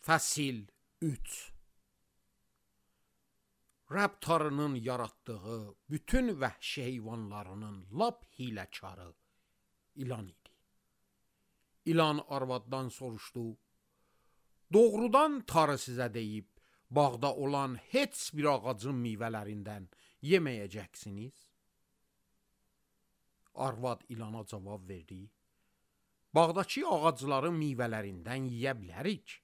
Fəsil 3. Rəbb tarının yaratdığı bütün vəhşi heyvanlarının lap hiləkarı ilan idi. İlan arvaddan soruşdu, doğrudan tarı sizə deyib, bağda olan heç bir ağacın meyvələrindən yeməyəcəksiniz? Arvad ilana cavab verdi, bağdakı ağacların meyvələrindən yeyə bilərik.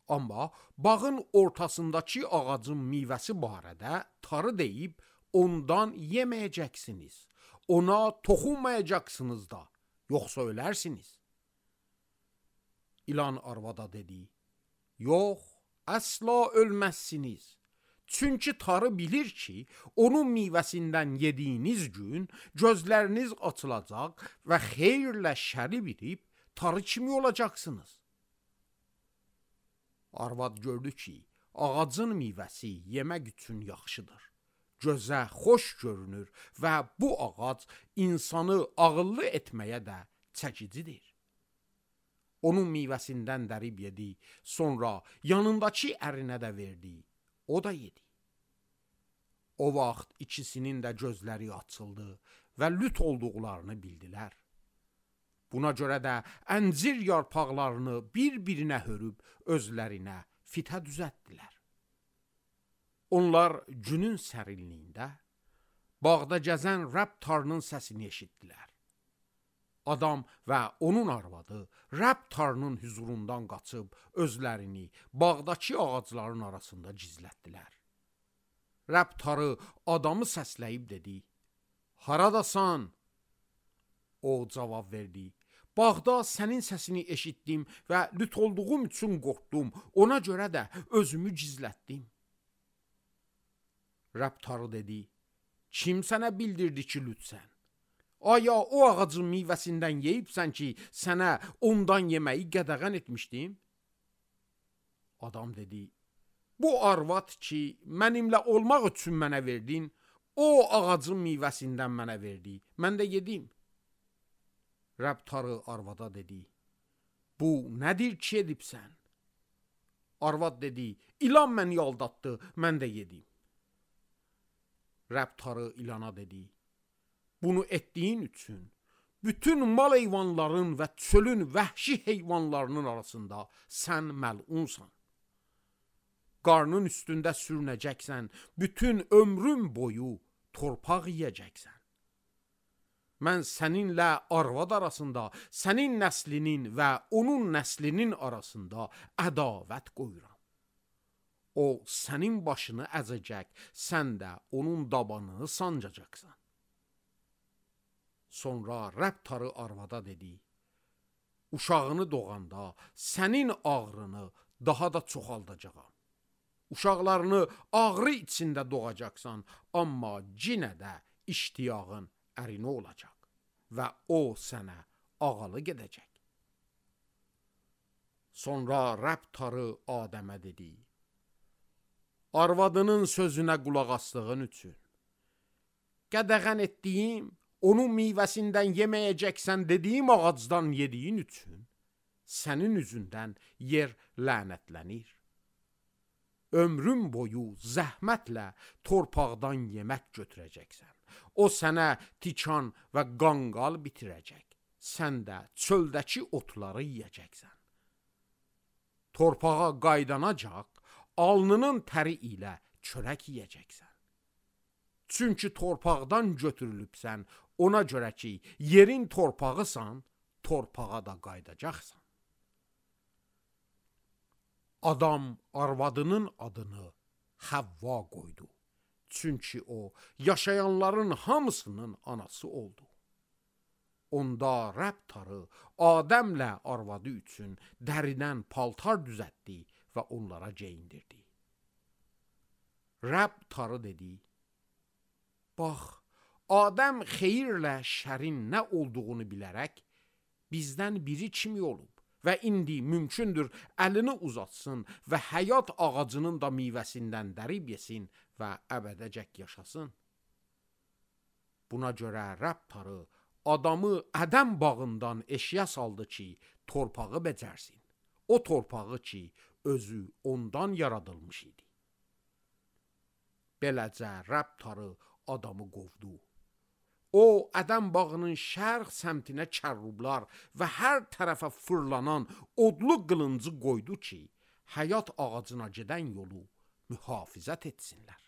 Amma bağın ortasındakı ağacın meyvəsi barədə tarı deyib, ondan yeməyəcəksiniz. Ona toxunmayacaqsınız da, yoxsa ölərsiniz. İlan arvada dedi, yox, əsla ölməzsiniz. Çünki tarı bilir ki, onun meyvəsindən yediyiniz gün gözləriniz açılacaq və xeyirlə şəri bilib tarı kimi olacaqsınız. Arvad gördü ki, ağacın meyvəsi yemək üçün yaxşıdır. Gözə xoş görünür və bu ağac insanı ağıllı etməyə də çəkicidir. Onun meyvəsindən dərib yedi, sonra yanındakı ərinə də verdi, o da yedi. O vaxt ikisinin də gözləri açıldı və lüt olduqlarını bildilər. Buna görə də əncir yarpaqlarını bir-birinə hörüb özlərinə fitə düzəltdilər. Onlar günün sərinliyində bağda gəzən Rəbb tarının səsini eşitdilər. Adam və onun arvadı Rəbb tarının hüzurundan qaçıb özlərini bağdakı ağacların arasında gizlətdilər. Rəbb tarı adamı səsləyib dedi, haradasan? O cavab verdi, bağda sənin səsini eşitdim və lüt olduğum üçün qorxdum, ona görə də özümü gizlətdim. Rəbb tarı dedi, kim sənə bildirdi ki, lütsən? Aya o ağacın meyvəsindən yeyibsən ki, sənə ondan yeməyi qədəğən etmişdim? Adam dedi, bu arvad ki, mənimlə olmaq üçün mənə verdin, o ağacın meyvəsindən mənə verdi, mən də yedim. Rəbb tarı arvada dedi, bu nədir ki edibsən? Arvad dedi, ilan məni aldatdı, mən də yedim. Rəbb tarı ilana dedi, bunu etdiyin üçün bütün mal heyvanların və çölün vəhşi heyvanlarının arasında sən məlunsan. Qarnın üstündə sürünəcəksən, bütün ömrün boyu torpaq yiyəcəksən. Mən səninlə arvad arasında, sənin nəslinin və onun nəslinin arasında ədavət qoyuram. O sənin başını əzəcək, sən də onun dabanını sancacaqsan. Sonra Rəbb tarı arvada dedi, uşağını doğanda sənin ağrını daha da çoxaldacağam. Uşaqlarını ağrı içində doğacaqsan, amma yenə də iştiyağın ərini olacaq və o sənə ağalı gedəcək. Sonra Rəbb tarı Adəmə dedi, arvadının sözünə qulaq asdığın üçün, qədəğən etdiyim, onun meyvəsindən yeməyəcəksən dediyim ağacdan yediyin üçün, sənin üzündən yer lənətlənir. Ömrün boyu zəhmətlə torpaqdan yemək götürəcəksən. O sənə tikan və qanqal bitirəcək. Sən də çöldəki otları yiyəcəksən. Torpağa qaydanacaq, alnının təri ilə çörək yiyəcəksən. Çünki torpaqdan götürülübsən, ona görə ki, yerin torpağısan, torpağa da qaydacaqsan. Adam arvadının adını Həvva qoydu. Çünki o, yaşayanların hamısının anası oldu. Onda Rəbb tarı Adəmlə arvadı üçün dəridən paltar düzəltdi və onlara geyindirdi. Rəbb tarı dedi, bax, Adəm xeyirlə şərin nə olduğunu bilərək bizdən biri kimi olub və indi mümkündür əlini uzatsın və həyat ağacının da meyvəsindən dərib yesin və əbədəcək yaşasın. Buna görə Rəbb tarı adamı Ədəm bağından eşiyə saldı ki, torpağı becərsin. O torpağı ki, özü ondan yaradılmış idi. Beləcə Rəbb tarı adamı qovdu. O, Ədəm bağının şərq səmtinə kərrublar və hər tərəfə fırlanan odlu qılıncı qoydu ki, həyat ağacına gedən yolu mühafizət etsinlər.